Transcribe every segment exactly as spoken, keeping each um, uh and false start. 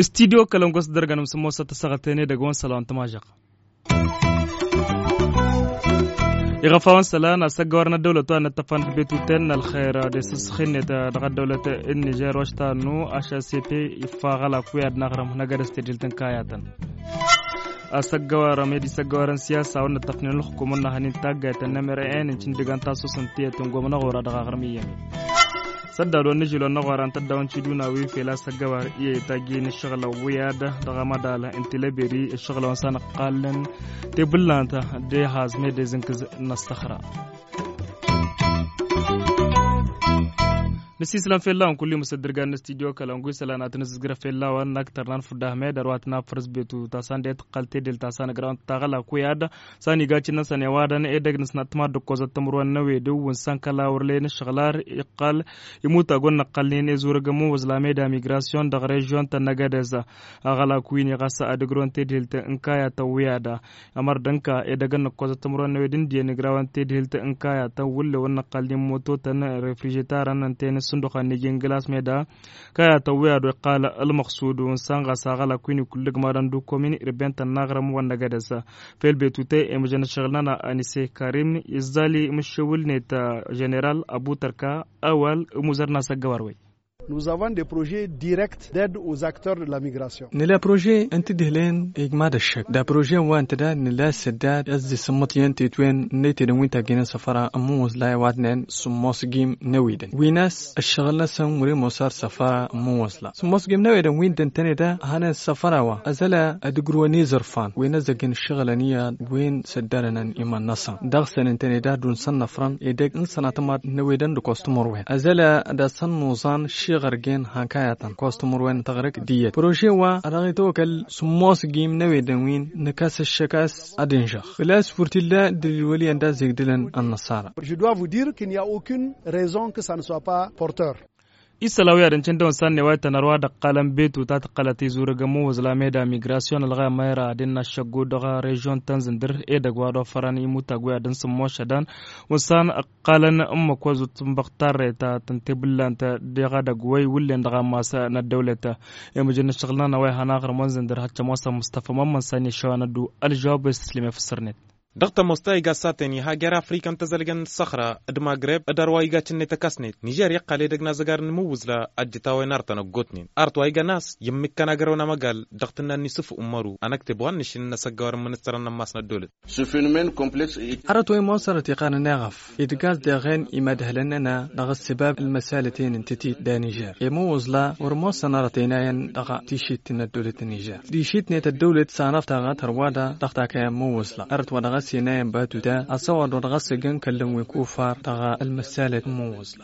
Studyo kălăngos dăr-găn mǝsǝmmosăt tăsăɣăt-en edăgg wa n-isălan tămažăɣ. Iɣăf-awăn isălan asăggăwar n-ăddăwlăt wa n-ăttăfan d-betuten n-ălxer d-esǝsxinnet dăɣ-ăddăwlăt n-nižer wa s-tannu ašăsete. Iffăɣălak wi ad-naɣrăm năgădăs tedhelt n-kayatăn asăggăwar med isăggăwar n-siyasa wa n-ăttăfnen ălxukum n-năhănin taggayt n-nemere en n-cindǝgan tasus n-tiyăt n-gomnăɣora dăɣ-aɣrǝm iyyăn. Săddad wa n-nǝžil wa n-năɣoran tăddaw n-ciduna wi fel asăggăwar iyyăy tajjǝy n-ǝššăɣǝlăn wi ad-dăɣ-amădal n-tilăberi ǝššăɣǝlăn wa n-sanăqqalăn tebǝllant d-ehaz med ezǝnkǝz n-ăssăxra. Nǝsislăm fell-awăn kullu-i mǝsăddǝrgan n-studyo kălăngu isălan ad-tăn-ǝzǝzgrăf fell-awăn n-aktăr n-anfud ahmed ărwa tǝnafăr s-betu ta săn de-tǝqqăl tedel ta săn ăgrawăn taɣălak wi ad-săn iga cǝnnăn săn i-ăwadăn edăgg n-asnat tămaddǝkkozăt timǝrwen n-ewedǝw wǝnsan kăla wăr lăyăn ǝššăɣǝl ar iqqăl imutag wăr năqqălnen ezurăg ămmuwăẓla meda migrasyon dăɣ-režyon-tăn n-egădez. Aɣălak wi-ni ɣas ad-ǝgrǝwăn tedhelt n-kayatăn wi ad-ămăr d-ǝnka edăgg n-nǝkkozăt timǝrwen n-ewed n-diyyăn igrawăn tedhelt n-kayatăn wǝllew n-năqqălnen mototăn refrižetarăn ǝnta-en ǝssǝnduxăn n-iji n-glas meda kayatăn wi ad-wa iqqal ălmăɣsud wǝnsan ɣas aɣălak wi-ni kull-ǝgmadăn d-ukomin irben-tăn n-aɣrǝm wa n-egădez. Fel betute i-mǝžăn ǝššăɣǝl-nănăɣ anise karim izzal i-mǝššewǝl-net ženeral ăbutărka ăwal ămuzăr n-asăggăwar-wen. Nuzăvan de prože direkt ded uzaktor de la migrasyon. Nǝla prože n-tǝdǝhlen igmad ăššăk da prože wa n-tǝda nǝla săddad ăzzi sǝmmăṭ iyyăn tetwen n-năytedăn wi n-tagginăn săfăra ămmuwăẓ la i-wadnen sǝmmos gim n-ewedăn wi n-as ăššăɣǝl-năsăn wăr-e mosar săfăra ămmuwăẓ la sǝmmos gim n-ewedăn wi n-dăntăne da hănen săfăra wa ăzăla ad-ǝgrǝwăn izărfan wi n-ăzzăggen ǝššăɣǝlăn iyyăḍ wi n-săddărănăn iman-năsăn dăɣ-săn ǝntăne da ad-dd-unsăn năfrăn edăgg n-sănatămăḍ n-ewedăn d-kostămăr-wen ăzăla ad-asăn nuẓan šiɣărgen hankayătăn kostămăr-wen n-tăɣrǝk d-iyyăt prože wa dăɣ-itwăkăl sǝmmos gim n-ewedăn wi n-nǝkas ǝššăk a-s ad-ǝnžăɣ făl-a-s wăr t-illa dd-ǝlwăl iyyăn d-azegdǝlăn ănnăṣara. Je dois vous dire qu'il n'y a aucune raison que ça ne soit pas porteur. Isălan wi ad-ǝncǝn dăɣ-wăn sannewayt tăn-ărwa d-ăqqalăn betu ta tǝqqălăt izurǝg ămmuwǝẓla meda migrasyon ălɣayăm mayra ad-innă ăššăggu dăɣ-režyon tăn-zǝndǝr edăgg wa d-ofărăn imutag wi ad-ǝnsǝmmošădăn wǝnsan ăqqalăn ǝmmǝk wa zut n-băɣ tarreta tăn-tebǝllant dăɣ-edăgg wa iwǝllen dăɣ-ammas n-ăddăwlăt. Imǝjǝn n-ǝššăɣǝl-nănăɣ wa ihăn aɣrǝm wa n-zǝndǝr hăt šămoosăn mustăfa mămmăn sani išăwa n-ăddu ălžăwab wa s-tǝslǝm i-fǝssărnet. Dăɣ-tămoos ta iga s-aten iha jer-afrika n-tăzălgăn n-săxra d-magreb d-arwa iga cǝnnet ăkasnet nižer iqqal edăgg n-azăgar n-imǝwwǝzla ăjjǝt a-wa inartăn ăggootnen arăt wa iga n-a-s i-ǝmmǝkkăn agrăw n-amăgal dăɣ-tǝnna n-isǝffu n-măru ănăkteb wa n-nǝšǝl n-asăggawăr n-imǝnǝssărăn n-ammas n-ăddolăt. Arăt wa imoosărăt iqanăn eɣăf idgas deɣen imădhălăn-nănăɣ dăɣ-ăssibab ălmăsalăten n-tătit d-anižer imǝwwǝẓla wăr moosăn arăt ăynayăn dăɣ-tišit n-ăddolăt n-anižer tišit-net ăddăwlăt s-anăɣ taɣăt hărwa-da dăɣ-takăyăn imǝwwǝẓla arăt wa dăɣ-s ăynayăn batuta asăwăr wa dăɣ-s ăjăn kăllăn wi kufar dăɣ-ălmăsalăt n-imǝwwǝẓla.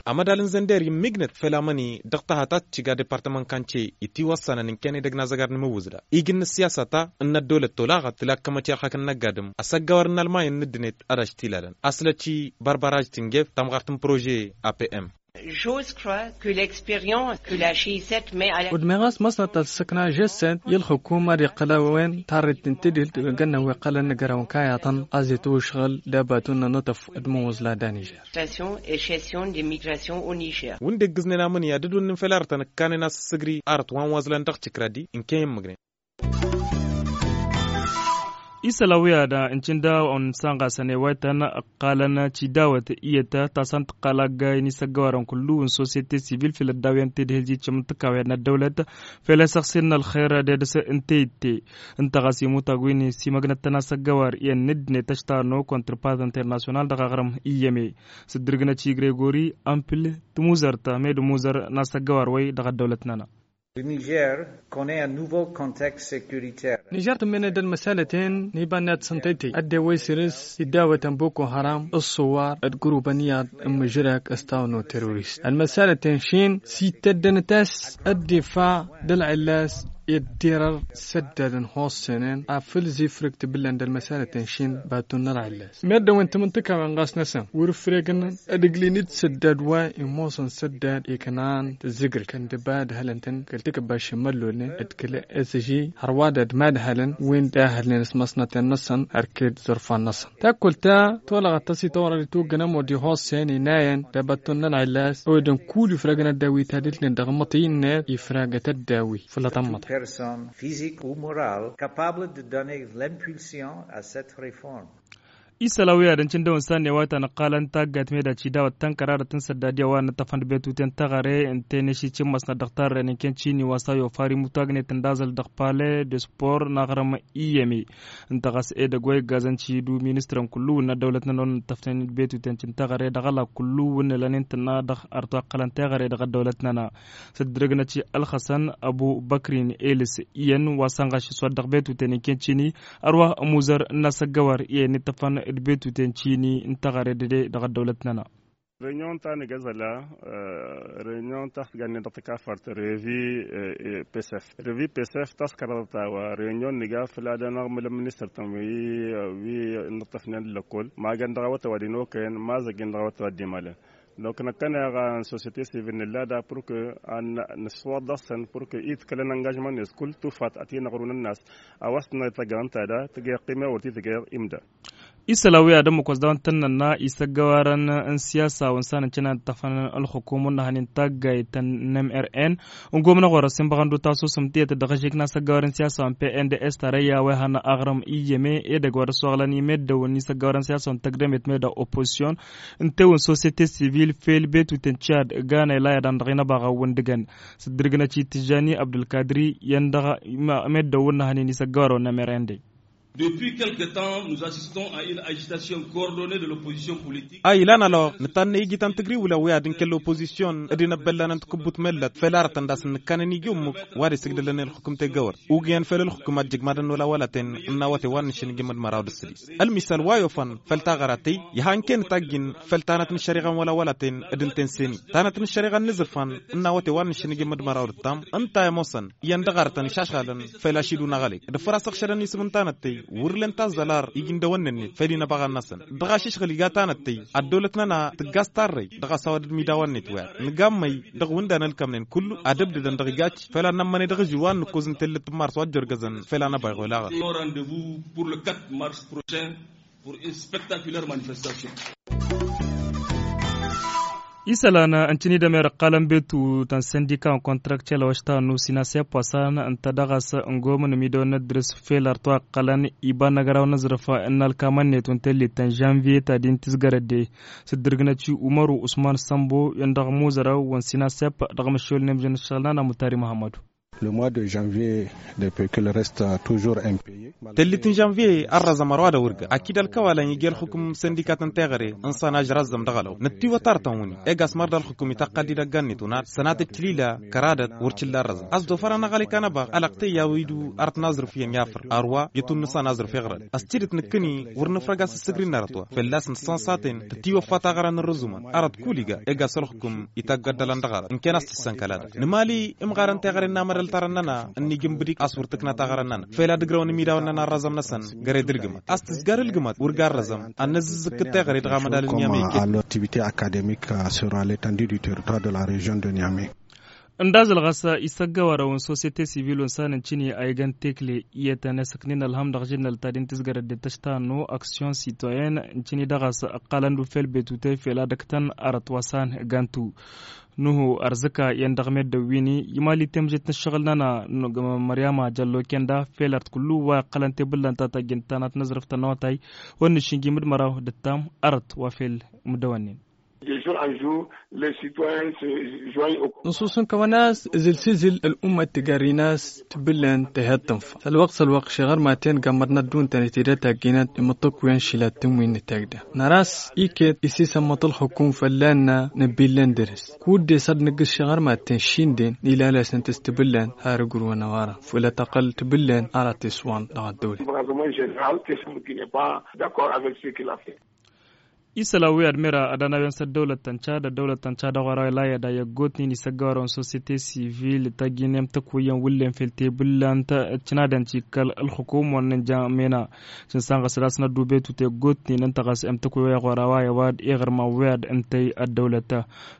Amădal n-zănder immǝjnăt făll-amăni dăɣ-tahăt ad-t-iga departămăn kance itiwăssănăn ǝnken edăgg n-azăgar n-imǝwwǝẓla ijǝn n-ăssiyasa ta n-ăddolăt tolaɣăt tǝla ăkkămăt i-ărhak n-inăgg adǝm asăggawăr n-almay n-ǝddǝnet ad-aštilalăn aslăt i-bărbăraž tǝngef tamɣart n-prože apm. Udmeɣ a-s măsnăt ălsăkna žăsset i-ălxǝkum ad-iqqăl a-wen tarret n-tedil tǝggănnăn wi ǝqqălăn n-agăraw n-kayaḍăn a-s itwǝšɣǝl d-abatun n-anătăf d-imǝwwǝẓla d-anižer. Wi n-dd-iggǝznen amǝnǝya d-dd-wǝnnin fel arătăn ǝkkanen a-s ǝssǝgri arăt wa n-wăẓlan dăɣ-tikradi ǝnken i-ǝmmǝgnen. Isălan wi ad-ǝncǝn daw-ănsanɣasăn i-wa ităn ǝqqalăn tidawăt iyyăt ta s-an tǝqqal aggay n-isăggăwarăn kullu n-sosyete sivil făll-ădda wi ăntedhǝl jijjăm n-tǝkawăyăn n-ăddăwlăt fel asăɣsir n-ălxer d-edăs n-teyǝtte. Ǝnta ɣas imutag wi n-simăgnăt-tăn asăggăwar iyyăn n-ǝddǝnet ăštarno kontrpaz internasyonal dăɣ-aɣrǝm iyyăme s-dd-ǝrgǝnăt i-gregori ampǝl tǝmuzărt med ǝmuzăr n-asăggăwar wăy dăɣ-ăddăwlăt-nănăɣ. Nižer tǝmmenăd ălmăsalăten n-iba n-ad-săn tăytăy ăddewăy săr-s idawătăn boko haram ǝṣṣuwar d-gurubăn iyyăḍ n-mǝžrăk s-tawnu terorist ălmăsalăten šin s-ittăddănăt a-s ăddifa d-ălɣillas. Ed derăr săddadăn hossenen afăl zifrǝk tibǝllan d-ălmăsalăten šin baton n-ălɣillas meddǝn wi n-timǝntǝkawen ɣas năsăn wăr-ǝfregăn. Ădǝglin-dd săddad wa imoosăn săddad iknan tǝzzǝgrǝj kăndǝba d-hălăn-tăn kăl-tikǝbba šimăllolnen d-kăl-s ži hărwa d-ad-mad-hălăn wi n-dahălnen s-măsnăten-năsăn ărked zărfan-năsăn. Takkălt ta tolăɣăt tăsităwrăd itwǝggăn ămodi hossen inayăn d-abaton n-ălɣillas ăwedăn kull ifragăn ăddawit ad-ǝlnen dăɣ-măṭi-net ifragăt ăddawi făll-tămmăḍt. Personne physique ou morale capable de donner l'impulsion à cette réforme. Isăl a-wi ad-ăncǝndăwăn s-annăy wa tanăqqalăn taggayt medaci dawăt tănkăradăt n-săddad i-a-wa n-ǝṭṭăfăn d-betuten taɣăre n-teneš icǝmmăsnăt dăɣ-tarren n-kenčini wa s-a yofar imutagnet n-dazăl dăɣ-pale de spor n-aɣrǝm iyyăme. Ǝnta ɣas edăgg wa iggazăn cidu ministrăn kullu wǝnna ăddăwlăt-nănăɣ wa n-ǝṭṭăfnen d-betuten cǝntaɣăre dăɣ-ăla kullu wǝnna lănen tǝnna dăɣ-artu aqqălăn teɣăre dăɣ-ăddăwlăt-nănăɣ. Săddǝdrăgnăt i-ălxăsăn ăbubăkrin elis iyyăn wa săn ɣaš s-wa dăɣ-betuten inkăncini ărwa ămuzăr n-asăggăwăr iyyăn ittăfăn d-betuten cini n-teɣăre dăde dăɣ-ăddăwlăt-nănăɣ. Renion ta nǝgăzăla renion ta s-gannen dăɣ-tăkafărt revi pesef revi pesef ta s-kăraḍăt a-wa renion nǝga făll-ad-anăɣ mălăm ministăr-tăn wi wi n-ǝṭṭăfnen d-lăkkol magăn dăɣ-awătăw ad-inokăyăn mazăggen dăɣ-awătăw ad-dd-imalăn. Donc năkkăneɣ n-sosyete sivil nǝlla da pur kă ad-nǝswăḍ dăɣ-săn pur kă iḍkălăn angajman-net kull tufat ad-t-inăɣrun ănnas. A-wa s-tǝnnăɣ ităggeɣ ǝnta da tǝggeɣ qime wăr t-itǝggeɣ imda. Isălan wi ad-ămmăkos dăɣ-wăn tăn-nănna isăggăwarăn n-siyasa wăn s-anăncăn ad-ǝṭṭăfăn ălxukum wăn n-ehăn n-taggayt n-mrn. Ǝngom n-aɣorăs inbăɣăn d-utasǝsǝm tiyyăt dăɣ-ažik n-asăggăwarăn n-siyasa wăn pnds tarăyya wa ihăn aɣrǝm iyyăme edăgg wa d-ăsoɣlăn i-meddǝwăn n-isăggăwarăn n-siyasa wăn tăgdămet meddǝw oppozisyon. Ǝnta i-wăn sosyete sivil fel betuten cad ganăy layadan dăɣ-inăbaɣăn wǝndǝgăn. Sǝddǝrgǝnăt i-tǝžžani abdulkadri i-ăndăɣ meddǝwăn n-ehănen isăggăwarăn wăn n-emerende. Depuis quelque temps nous assistons à une agitation coordonnée de l'opposition politique. A ilan alăɣ nǝtannăy igităn tǝgriwǝlăn wi ad-inkăl opozisyon d-inăbbăllanăn takǝbbut mellăt fel arătăn d-asǝnnǝkkanăn iji ummǝk wa d-isǝgdălăn i-ălxukǝm tegăwărt. Ugǝyăn fel ălxukǝm ad-jǝgmadăn wăla wălatăn ǝnnawăte wa n-nǝššǝnǝjǝm d-măraw d-ǝssǝdis. Ălmisal wa i-ofăn făll-taɣăra tey iha n-kenǝt a ǝjjǝn făll-tanăt n-ăššăriɣa n-wăla wălatăn d-ǝnta n-seni tanăt n-ăššăriɣa n-inǝzǝrfan. Ǝnnawăte wa n-nǝššǝnǝjǝm d-măraw d-ǝttam ǝnta i-ămoosăn iyyăn dăɣ-arătăn išašɣalăn. Fel ašidun aɣălăy d-ǝffăr-as ăɣšădăn isǝm n-tanăt tey wăr len tazzălar iji n-dăwănnen-net fel inăbăɣăn-năsăn. Dăɣ-ašǝšɣǝl iga tanăt tey ăddăwlăt-nănăɣ tǝggas tarrăy dăɣ-a-s a-wa-dăɣ midaw-net wa nǝgammăy dăɣ-wǝndan ălkămnen kullu ad-ǝbdǝdăn dăɣ-ijac. Fel ad-nămmănăy dăɣ-ažǝw wa n-nǝkkoz n-tellet n-mars wa ăjjărgăzăn fel ad-năbăyɣu elaɣăt. Rendez-vous pour le quatre mars prochain pour une spectaculaire manifestation. Isălan ǝncǝn-dd ămer ǝqqalăn betu ta n-săndika n-kontrakcel a-wa s-tannu sinasep wa s-an ǝnta dăɣ-a-s ǝngomăn ămidăwăn n-ăddrǝs fel artu a ǝqqălăn iba n-agraw n-aẓrǝf n-alkamăn-net wa n-tellit ta n-žanviye ta din tǝzgărădde. Sǝddǝrgǝnăt i-umăru usman sămbo i-ăndăɣ muzărăw wa n-sinasep dăɣ-măššolnen ǝmjăn ǝššăɣǝl n-ana mutari muhammadu. Le mois de janvier de pekil reste toujours impayé. Tellit n-žanviye ărrăzăm ărwa d-awǝrgăr akid ălkăwalăn iji ălxukǝm săndikat n-teɣăre n-săn ažrăzzăm dăɣ-ălăw năttiwăt artăn-wǝni. Egas măr d-ălxukǝm itaqqad-dd ăggan-net unat sănatăt tilila kăradăt wăr t-illa ărrăzăm a-s dd-ofărăn aɣălăy kanăbaɣ ălăɣtăy i-a-wi-du arăt n-aẓrǝf iyyăn i-afăr ărwa i-tunnǝsa n-aẓrǝf iɣrăd. Ăstidăt nǝkkǝni wăr nǝfrăg a-s ǝssǝgri n-arăt wa fălla-s nǝssănsaten tătiwăffa taɣăra n-ărrǝzumăn arăt kull iga egas ălxukǝm itaggaddălăn dăɣ-arăt ǝnken a-s tǝssăn kăla-dăɣ nǝmali. Imɣarăn teɣăre n-amădăl tarăn-nănăɣ ǝnnij n-ibǝdik a-s wăr tǝkna taɣăra n-nănăɣ fel ad-ǝgrăwăn imidawen-nănăɣ ărrăzăm-năsăn găre d-ǝlgǝmăt a-s tǝzgar ǝlgǝmăt wăr ga ărrăzăm ad-năzzǝzzǝkkǝd teɣăre dăɣ-amădal n-niamey. Activité académique sur l'étendue du territoire de la région de niamey. Ǝndazăl ɣas isăggăwărăw n-sosyete sivil wa n-san ǝncǝni a igăn tekle iyyătăn i-asǝknin ălhăm dăɣ-žǝnnăl ta din tǝzgărăt d-tăštannu aksyon sitoyen ǝncǝni dăɣ-a-s ǝqqalăn d-ufel betute fel ad-ǝktăn arăt wa s-an gantu. Nuhu ărzǝka iyyăn dăɣ-meddǝn wi-ni imali temžet n-ǝššăɣǝl-nănăɣ n-măryama jăllo kenda fel arăt kullu wa iqqălăn tebǝllan ta tajjǝnt tanăt n-aẓrǝf tănotay wa n-nǝššǝnjim d-măraw d-ǝttam arăt wa fel mǝdăwănnen. Nǝsus n-kăwăn-as ǝzǝl s-ǝzǝl ăl'ummăt tǝgărrin-as tǝbǝllen tehet tǝnfa s-ălwăqq s-ălwăqq šeɣăr maten gammăr n-ădduntăn itedăt agginăt imǝṭṭǝkkuyen šilăt tǝmwin n-tagdam năras iket isisămmăḍ ălxǝkum fălla-nănăɣ nǝbbillăn dăr-s. Kud-dăɣ s-ad-nǝggǝs šeɣăr maten šinden ilalăsnăt s-tǝbǝllen har ǝgrǝwăn ăwarăn făll-ătăqqăl tǝbǝllen ara teswan dăɣ-ăddăwlăt. Isălan wi ad-mera ad-anawăn s-ăddăwlăt ta n-cad ăddăwlăt ta n-cad ăɣora layăda i-ăggootnen isăggăwarăn sosiyete sivil tăjjinem tăkwăyyăn wǝllen fel tebǝllant. Ăccănadăn cikkăl ălxukum wăr nǝnja mena. Cǝnsan ɣas d-asnăddu betu teggootnen ǝnta ɣas emtăkwăyy ăɣora wa i-wad iɣrǝman wi ad-ǝntăy ăddăwlăt.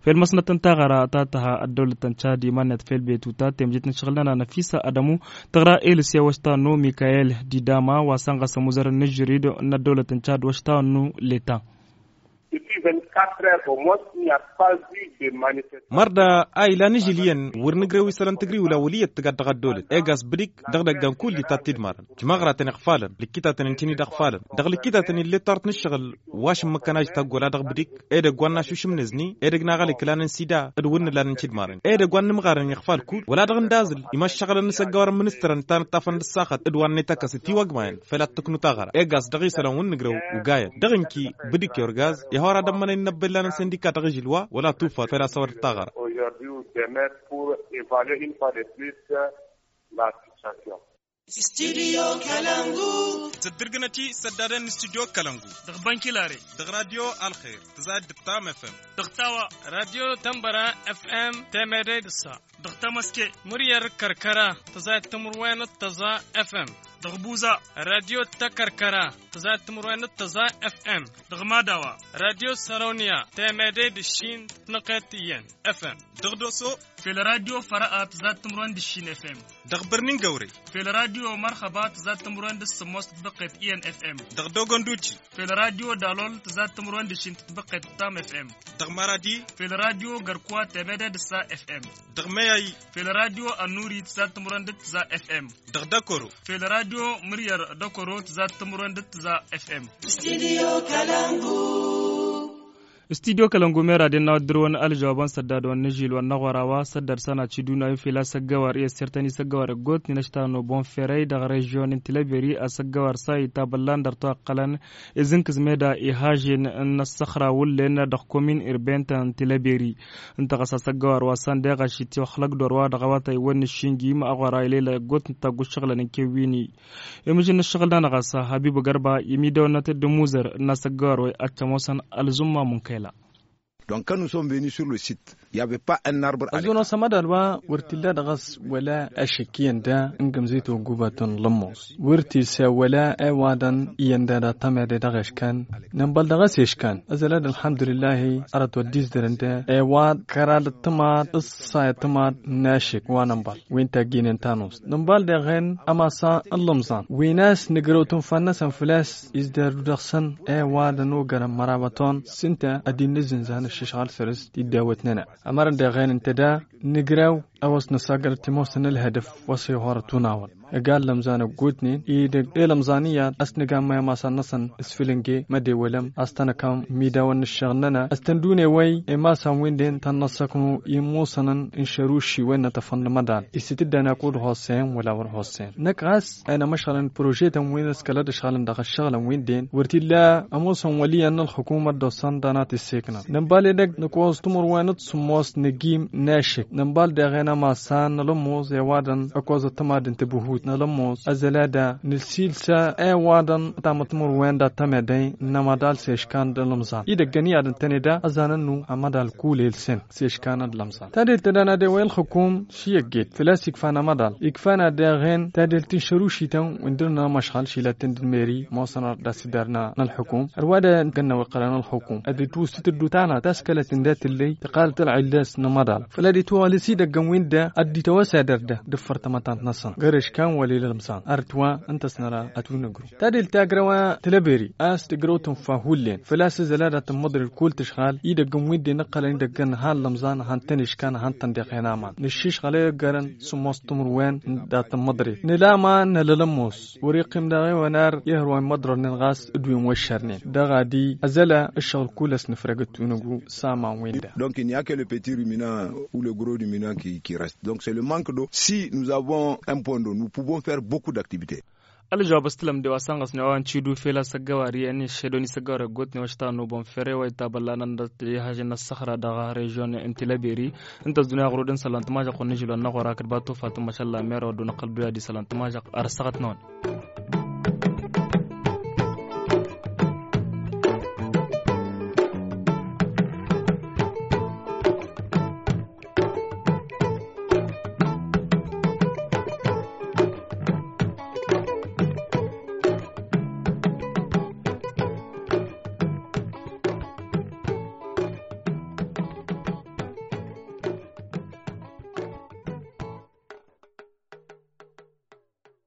Fel măsnăt n-taɣăra ta tăha ăddăwlăt ta n-cad iman-net fel betu ta temjit n-ašăɣǝl-nănăɣ năfisa ădămu. Tăɣra elǝs i-wăšta nu mikayel didama wa săn ɣas ămuzărăn n-ažžărid n-ăddăwlăt n-cad wăšta nu leta. Mărda a ilan ižǝl iyyăn wăr nǝjrew isălan tǝgriwla wăl' iyyăt tǝgad dăɣ-ăddăwlăt egas bǝdik dăɣ-idăggan kull itat tidmarăn. Jmaɣratăn iɣfalăn lǝkkitatăn n-tinǝy d-iɣfalăn dăɣ-lǝkkitatăn ill'-e tart n-ǝššăɣǝl wa šǝmmǝkkăn a ijtagg wăla dăɣ-bǝdik. Edăgg wa n-našušǝmnez-ni edăgg n-aɣăl iklan n-sida d-wǝnnǝlal n-tidmarăn edăgg wa n-inǝmɣarăn iɣfal kull wăla dăɣ-indazǝl. Imăššăɣǝlăn n-isăggăwărăn ministărăn ta n-ăṭṭafăn d-ăssaxăt d-wa n-netăkkăs itiwăgmayăn făl ad-tǝknu taɣăra egas dăɣ-isălan wi n-nǝjrăw ugayen dăɣ-inki bǝdik i-orgaz. Ihor ad-ămmănăy n-inăbbellan n-sindika dăɣ-ižǝl wa wăla tufat făl asăwădăt taɣăra. Sǝddǝrgǝnăt-i săddadăn n-studyo kălăngu dăɣ-bănkilare dăɣ-radyo alxer tǝzayăt d-tam fm dăɣ-tawa radyo tănbăra fm temede d-ǝssa dăɣ-tamăske mǝryăr kăr-kăra tǝzayăt timǝrwen d-tăẓa fm dăɣ-buza radyo tăkăr-kăra tǝzayăt timǝrwen d-tăẓa fm dăɣ-madawa radyo sărăwniya temede d-ǝššin tǝnăqqet iyyăn fm dăɣ-doso fel radyo fărăa tǝzayăt timǝrwen d-ǝššin fm dăɣ-bărnin găwre fel radyo mărxăba tǝzayăt timǝrwen d-ǝssǝmmos tǝtbăqqet iyyăn fm dăɣ-dogonduti fel radyo dalol tǝzayăt timǝrwen d-ǝššin tǝtbăqqet tam fm dăɣ-maradi fel radyo gărkwa temede d-ǝssa fm dăɣ-meyay fel radyo ănnuri tǝzayăt timǝrwen d-tǝza fm dăɣ-dăkoro fel radyo mǝryăr dăkoro tǝzayăt timǝrwen d-tǝza fm. Studyo kălăngu mera d-innă wa dd-dăr-wăn ălžăwabăn săddad wa n-ažil wa n-aɣora wa săddad s-ana ciduna wi fel asăggăwar i-ăssirtăn isăggăwar ăggootnen ăšta n-obon ferăy dăɣ-režyon n-tilăberi asăggăwar sa itabăllan dăr-toqqălăn izǝnkǝz meda ihažen n-ăssăxra wullen dăɣ-komin irben ta n-tilăberi. Ǝnta ɣas asăggăwar wa s-anda iɣaš itiwăxlăk d-orwa dăɣ-awătay wăr nǝššinjim aɣora ilelăy ăggootnen taggu ǝššăɣǝlăn n-kewwini. Imǝžǝn n-ǝššăɣǝl-nănăɣ ɣas habibăgărba imidăwănnăt d-imuzăr n-asăggăwar wa i-ad-tămoosăn ălzumma munkăyla. Donc quand nous sommes venus sur le site il y avait pas un arbre. Ăzzunos amădal wa wăr t-illa dăɣ-s wăla ašǝk iyyăn da n-gǝmzit wa n-gubatăn lămmos wăr t-isa wăla i-wadăn iyyăn da d-ad-tămede dăɣ-eškan. Nǝnbal dăɣ-s eškan ăzălad ălḥămdulǝllahi arăt wa dd-izdărăn da i-wad kăra d-ăṭṭămad ǝssa i-ăṭṭămad n-ašǝk wa nǝnbal wi n-tagginen tanust nǝnbal deɣen amasa n-lămẓan wi n-a-s nǝgrăw tǝnfa-năsăn făl-a-s izdardu dăɣ-săn i-wadăn ogărăn mărabaton s-ǝnta ad-dd-nǝzzǝnzan ăššăšɣal săr-s tiddawăt-nănăɣ. Ămărăn deɣen ǝnta da nǝgrăw a-wa s-năsagăr timosăn ălhădăf wa s-ihorăt unawăn. Ăgg-alămẓan ăggootnen idăgg i-lămẓan iyyăḍ a-s nǝgammăy ămasan-năsăn s-fǝlǝnge mădewălăm a-s tăn-ăkăm imidawăn n-ǝššăɣǝl-nănăɣ a-s tăn-dd-unewăy i-imasan-win-den tăn-năssăknu i-ămoosănăn n-išăruši wa innătăfăn n-amăḍan. Isǝtǝddan akud hossen wăla wăr hossen năkk ɣas a inămăšɣălăn prožetăn wi n-ăskălăd ǝšɣălăn dăɣ-ǝššăɣǝlăn-win-den wăr t-illa ămoosăn wăl' iyyăn n-ălxukum ad-dd-osăn d-anat isseknăn nǝnbal edăgg nǝkoẓ timǝrwen d-sǝmmos n-ăgim n-ašǝk nǝnbal deɣen ămasan n-alămmoẓ i-ăwadăn ăkoẓăt tămad n-tibǝhut n-alămmoẓ ăzălada nǝsilsa i-ăwadăn tamăt timǝrwen dat-tămedăy n-amăḍal s-eškan d-alămẓan idăggăn iyyăḍ ǝntăne da ăzanăn-nu amăḍal kul elsen s-eškan d-alămẓan. Tadelt ta-dăɣ n-ad-ewăy ălxukum šiyăgget făl-a-s ikfan amăḍal ikfan ad-deɣen tadelt n-išărušităn wi n-dăr-nănăɣ măšɣăl šilăt-ten d-meri mosăn ad-dd-asidar n-ălxukum ărwa d-gănnăw iqqălăn ălxukum ad-itwǝstǝt ăddutanăt ta s-kălăt-in dat-tǝllăy tǝqqalăt ălɣilles n-amăḍal făl ad-itwăɣlǝs idăggăn-win-da ad-dd-itwăwăs ad-ărda d-ǝffăr tamătant-năsăn găr-eškan wăla i-lămẓan arăt-wa ǝnta a-s năra ătunǝgru. Tadelt ta ăgrăw a tǝlăberi a-s tǝgrăw tǝnfa hullen făl-a-s ǝzăl ad-tămmăḍrǝl kull tǝšɣal idăggăn-win-den ǝqqălăn idăggăn han lămẓan han-tăn-iškan han-tăn-deɣen aman nǝššǝšɣăl i-ăggărăn sǝmmos timǝrwen dat-tămmăḍrǝl nǝla aman nălăl ămoos wăr-iqqim daɣ i-wănar ihăr wa immăḍrălnen ɣas d-wi n-wăššărnen dăɣ-ad-i ăzăla ǝššăɣǝl kull ăsnǝfrăg d-tunǝgu s-aman-win-da. Donc il n'y a que le petit ruminant ou le gros ruminant qui reste donc c'est le manque d'eau si nous avons un point d'eau nous pouvons faire beaucoup d'activités. Ălžăwab s-tǝlăm de wa sănɣăsnen wa n-tidu fel asăggăwar i-ănni šedon isăggăwar ăggootnen wa s-tanubăn fere wa itabăllanăn dăɣ-tihažen n-ăssăxra dăɣ-režyon n-tilăberi. Ǝnta ăzdunya ɣur-dd n-isălan tǝmažăɣt wa n-ažil wa n-aɣora kăt-ba tufa tǝmmăšălla mera wa dd-unăqqăl duya d-isălan tǝmažăɣt ar ăssăɣăt-năwăn.